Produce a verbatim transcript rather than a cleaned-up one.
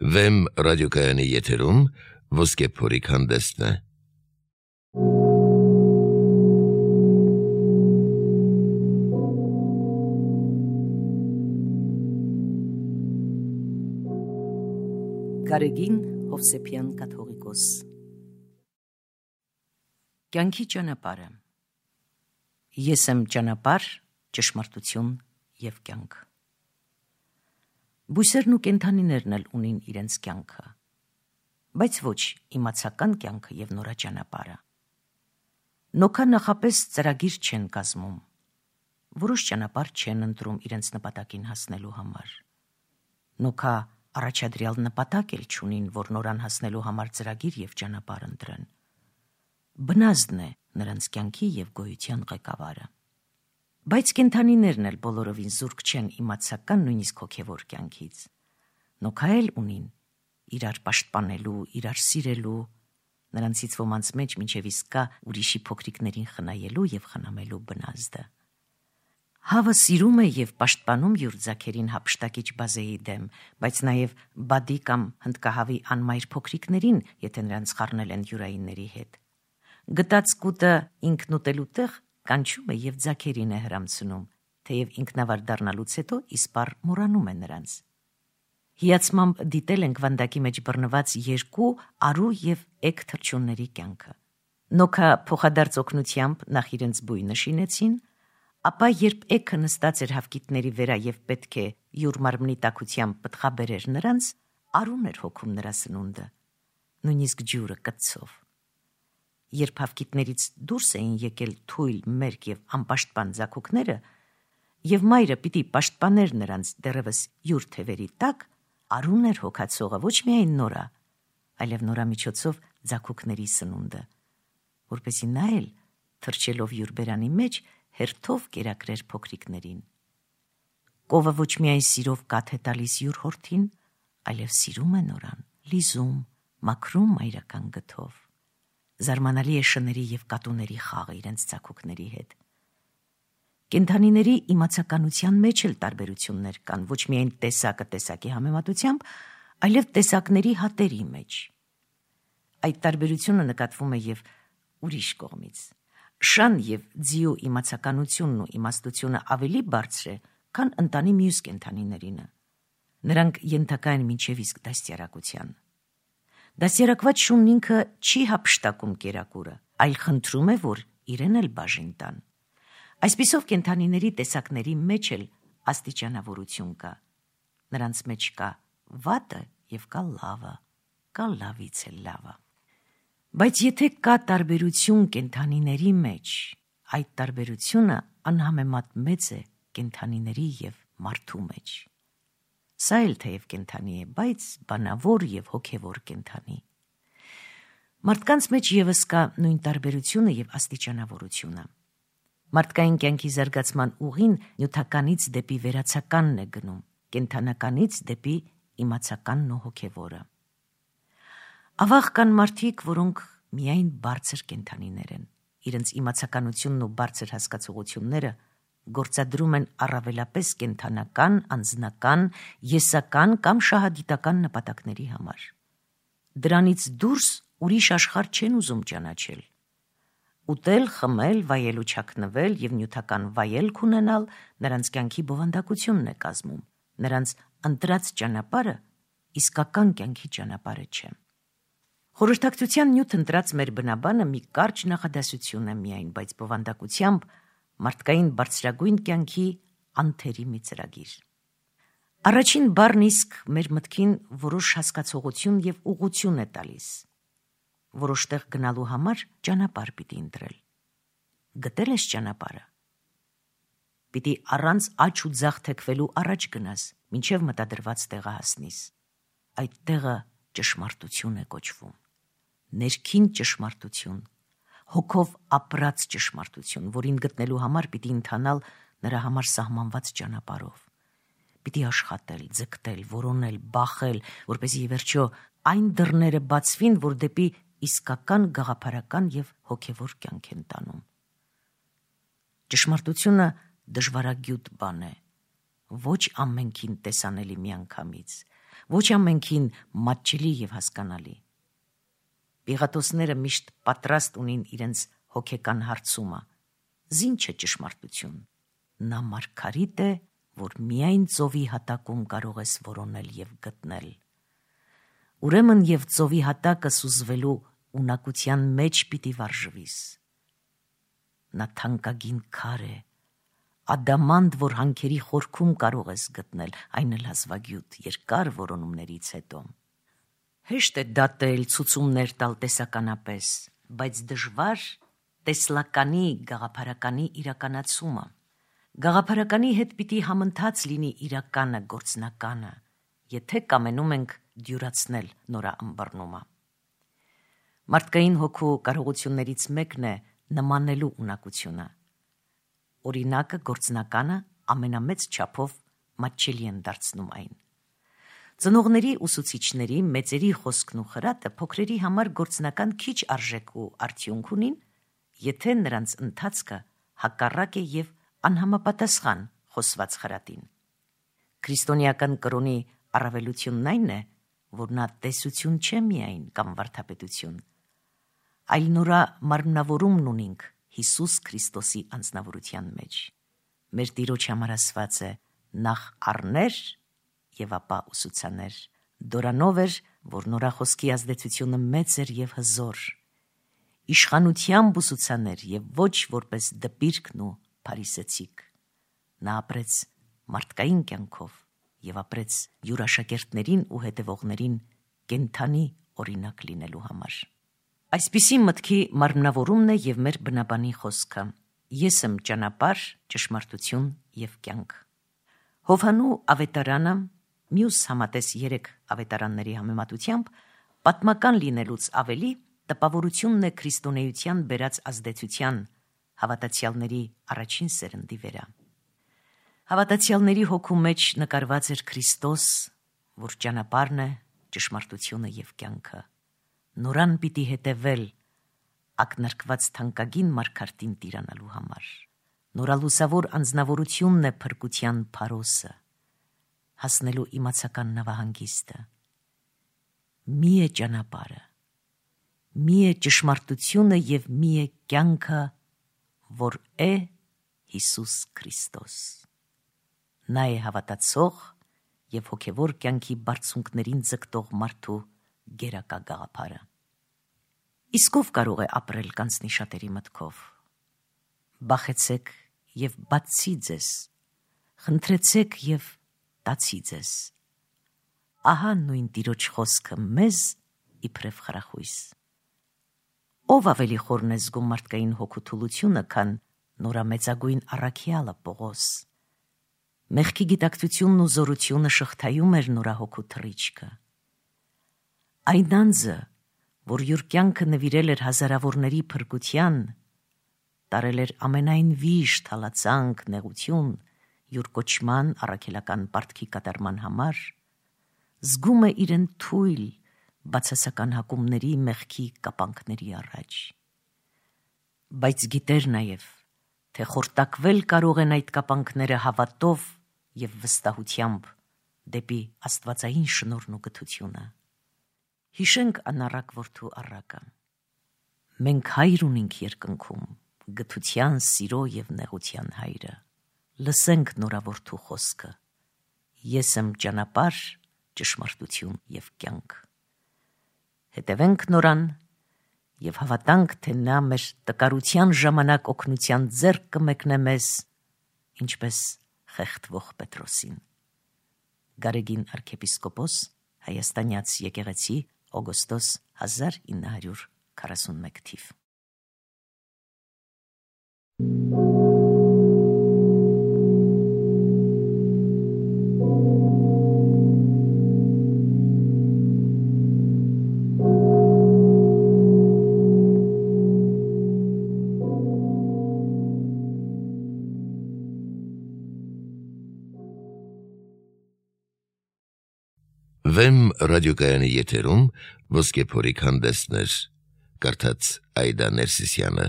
Վեմ ռադիոկայանի եթերում ոսկե փորիկ հանդեսն է։ Գարեգին Հովսեփյան կաթողիկոս։ Կյանքի ճանապարհը։ Ես եմ ճանապարհ, ճշմարտություն և կյանք։ Բույսերն ու կենդանիներն էլ ունին իրենց կյանքը, բայց ոչ իմացական կյանքը և նորաճանապարհը։ Նոքա նախապես ծրագիր չեն կազմում, որոշ ճանապարհ չեն ընտրում իրենց նպատակին հասնելու համար։ Նոքա առաջադրյալ նպատակ էլ չունին, որ նորան հասնելու համար ծրագիր և ճանապարհ ընտրեն։ Բնազդն է նրանց կյանքի և գոյության ղեկավարը։ Բայց կենդանիներն էլ բոլորովին զուրկ չեն իմացական, նույնիսկ հոգևոր կյանքից։ Նոքա էլ ունին իրար պաշտպանելու, իրար սիրելու, նրանցից ոմանց մեջ մինչև իսկ կա ուրիշի փոքրիկներին խնայելու և խնամելու բնազդը։ Հավը սիրում է և պաշտպանում յուր ձագերին հափշտակիչ բազեի դեմ, բայց նաև բադի կամ հնդկահավի անմայր փոքրիկներին, եթե նրանց խառնել են յուրայինների հետ։ Գտած կուտը ինքն ուտելու տեղ կանչում է և ձագերին է հրամցնում, թեև ինքնավար դառնալուց հետո իսպառ մոռանում է նրանց։ Հիացմամբ դիտել ենք վանդակի մեջ բռնված երկու արու և էգ թռչունների կյանքը։ Նոքա փոխադարձ օգնությամբ նախ իրենց բույնը շինեցին, ապա երբ էգը նստած էր հավկիթների վրա և պետք է յուր մարմնի տաքությամբ պտղաբերեր նրանց, արուն էր հոգում նրա սնունդը, նույնիսկ ջուրը կծով։ Երբ հավկիթներից դուրս էին եկել թույլ, մերկ և անպաշտպան ձագուկները, և մայրը պիտի պաշտպաներ նրանց դեռևս յուր թևերի տակ, արուն էր հոգացողը ոչ միայն նորա, այլև նորա միջոցով ձագուկների սնունդը, որպեսզի նա էլ, թռչելով յուր բերանի մեջ, հերթով կերակրեր փոքրիկներին։ Կովը ոչ միայն սիրով կաթ է տալիս յուր հորթին, այլև սիրում է նորան, լիզում, մաքրում մայրական գթով։ Զարմանալի է շների և կատուների խաղը իրենց ձագուկների հետ։ Կենդանիների իմացականության մեջ էլ տարբերություններ կան, ոչ միայն տեսակը տեսակի համեմատությամբ, այլև տեսակների հատերի մեջ։ Այդ տարբերությունը նկատվում է և ուրիշ կողմից։ Շան և ձիու իմացականությունն ու իմաստությունը ավելի բարձր է, քան ընտանի մյուս կենդանիներինը։ Նրանք ենթակա են մինչև իսկ դաստիարակության։ Դաստիարակված շունն ինքը չի հափշտակում կերակուրը, այլ խնդրում է, որ իրեն էլ բաժին տան։ Այսպիսով կենդանիների տեսակների մեջ էլ աստիճանավորություն կա։ Նրանց մեջ կա վատը և կա լավը, կա լավից էլ լավը։ Բայց եթե կա տարբերություն կենդանիների մեջ, այդ տարբերությունը անհամեմատ մեծ է կենդանիների և մարդու մեջ։ Սա էլ թեև կենդանի է, բայց բանավոր և հոգևոր կենդանի։ Մարդկանց մեջ ևս կա նույն տարբերությունը և աստիճանավորությունը։ Մարդկային կյանքի զարգացման ուղին նյութականից դեպի վերացականն է գնում, կենդանականից դեպի իմացականն ու հոգևորը։ Ավաղ կան մարդիկ, որոնք միայն բարձր կենդանիներ են, իրենց իմացականությունն ու բարձր հասկացողությունները գործադրում են առավելապես կենդանական, անձնական, եսական կամ շահադիտական նպատակների համար։ Դրանից դուրս ուրիշ աշխարհ չեն ուզում ճանաչել։ Ուտել, խմել, վայել ու չակնվել և նյութական վայելք ունենալ նրանց կյանքի բովանդակությունն է կազմում, նրանց ընտրած ճանապարհը իսկական կյանքի ճանապարհը չէ։ Խորհրդակցության նյութ ընտրած մեր բնաբանը մի կարճ նախադասություն է միայն, բայց բովանդակությամբ մարդկային բարձրագույն կյանքի անթերի մի ծրագիր։ Առաջին բառն իսկ մեր մտքին որոշ հասկացողություն և ուղղություն է տալիս։ Որոշ տեղ գնալու համար ճանապարհ պիտի ընտրել։ Գտել ես ճանապարհը։ Պիտի առանց աջ ու ձախ թեքվելու առաջ գնաս, մինչև մտադրված տեղը հասնիս։ Այդ տեղը ճշմարտություն է կոչվում։ Ներքին ճշմարտություն, հոգով ապրած ճշմարտություն, որին գտնելու համար պիտի ընթանալ նրա համար սահմանված ճանապարհով։ Պիտի աշխատել, ձգտել, որոնել, բախել, որպեսզի ի վերջո այն դռները բացվին, որ դեպի իսկական գաղափարական և հոգևոր կյանք են տանում։ Ճշմարտությունը դժվարագյուտ բան է, ոչ ամենքին տեսանելի միանգամից, ոչ ամենքին մատչելի եւ հասկանալի։ Պիղատոսները միշտ պատրաստ ունին իրենց հոգեկան հարցումը. զին չէ ճշմարտություն։ Նա մարգարիտ է, որ միայն ծովի հատակում կարող ես որոնել եւ գտնել։ Ուրեմն եւ ծովի հատակը սուզվելու ունակության մեջ պիտի վարժվիս։ Նա թանկագին քար է, ադամանդ, որ հանքերի խորքում կարող ես գտնել, այն էլ հազվագյուտ, երկար որոնումներից հետո։ Հեշտ է դատել, ցուցումներ տալ տեսականապես, բայց դժվար տեսլականի գաղափարականի իրականացումը։ Գաղափարականի հետ պիտի համընթաց լինի իրականը, գործնականը, եթե կամենում ենք դյուրացնել նորաըմբռնումը։ Մարդկային հոգու կարողություններից մեկն է նմանելու ունակությունը։ Օրինակը, գործնականը ամենամեծ չափով մատչելի են դարձնում այն։ Ծնողների, ուսուցիչների, մեծերի խոսքն ու խրատը փոքրերի համար գործնական քիչ արժեք ու արդյունք ունին, եթե նրանց ընթացքը հակառակ է եւ անհամապատասխան խոսված խրատին։ Քրիստոնեական կրոնի առավելությունն այն է, որ նա տեսություն չէ միայն կամ վարդապետություն, այլ նորա մարմնավորումն ունինք Հիսուս Քրիստոսի անձնավորության մեջ։ Մեր Տիրոջ համար ասված է. նախ առներ եւ ապա ուսուցաներ։ Դորանով էր, որ նորա խոսքի ազդեցությունը մեծ էր եւ հզոր։ Իշխանությամբ ուսուցաներ եւ ոչ որպես դպիրքն ու փարիսեցիկ։ Նա ապրեց մարդկային կյանքով եւ ապրեց յուր աշակերտներին ու հետևողներին կենթանի օրինակ լինելու համար։ Այսպիսի մտքի մարմնավորումն է եւ մեր բնաբանի խոսքը. ես եմ ճանապարհ, ճշմարտություն եւ կյանք։ Հովհաննու ավետարանը մյուս համատես երեք ավետարանների համեմատությամբ պատմական լինելուց ավելի տպավորությունն է քրիստոնեության բերած ազդեցության հավատացյալների առաջին սերնդի վրա։ Հավատացյալների հոգու մեջ նկարված էր Քրիստոս, որ ճանապարհն է, ճշմարտությունը եւ կյանքը։ Նորան պիտի հետևել ակնարկված թանկագին մարգարտին տիրանալու համար։ Նորալուսավոր անձնավորությունն է փրկության փարոսը, հասնելու իմացական նավահանգիստը։ Մի է ճանապարհը, մի է ճշմարտությունը եւ մի է կյանքը, որ է Հիսուս Քրիստոս։ Նա է հավատացող եւ հոգեվոր կյանքի բարձունքներին ձգտող մարդու գերակա գաղափարը։ Իսկ ով կարող է ապրել կանցնի շատերի մտքով։ Բախեցեք եւ բացի ձեզ, խնդրեցեք եւ տացի ձեզ։ Ահա նույն Տիրոջ խոսքը մեզ իբրև խրախույս։ Ով ավելի խորն է զգում մարդկային հոգու թուլությունը, քան նորամեծագույն առաքյալը Պողոս։ Մեղքի գիտակցությունն ու զորությունը շղթայում էր նորա հոգու թռիչքը։ Այն անձը, որ յուր կյանքը նվիրել էր հազարավորների փրկության, տարել էր ամենայն վիշտ, հալածանք, նեղություն, յուր կոչման առաքելական պարտքի կատարման համար, զգում է իրեն թույլ բացասական հակումների, մեղքի կապանքների առաջ։ Բայց գիտեր նաև, թե խորտակվել կարող են այդ կապանքները հավատով եւ վստահությամբ դեպի աստվածային շնորհն ու գթությունը։ Հիշենք անառակ որդու առակը։ Մենք հայր ունենք երկնքում, գթության, սիրո եւ նեղության հայրը։ Լսենք նորա որդու խոսքը. ես եմ ճանապարհ, ճշմարտություն եւ կյանք։ Հետևենք նորան եւ հավատանք, թե նա մեր տկարության ժամանակ օգնության ձեռք կմեկնե մեզ, ինչպես խեղդվող Պետրոսին։ Գարեգին arczepiskopos, հայաստանյաց եկեղեցի, օգոստոս հազար ինը հարյուր քառասունմեկ թիվ։ Վեմ ռադիոկայանի եթերում ոսկե փորիկ հանդեսներ, կարդաց Այդա Ներսիսյանը։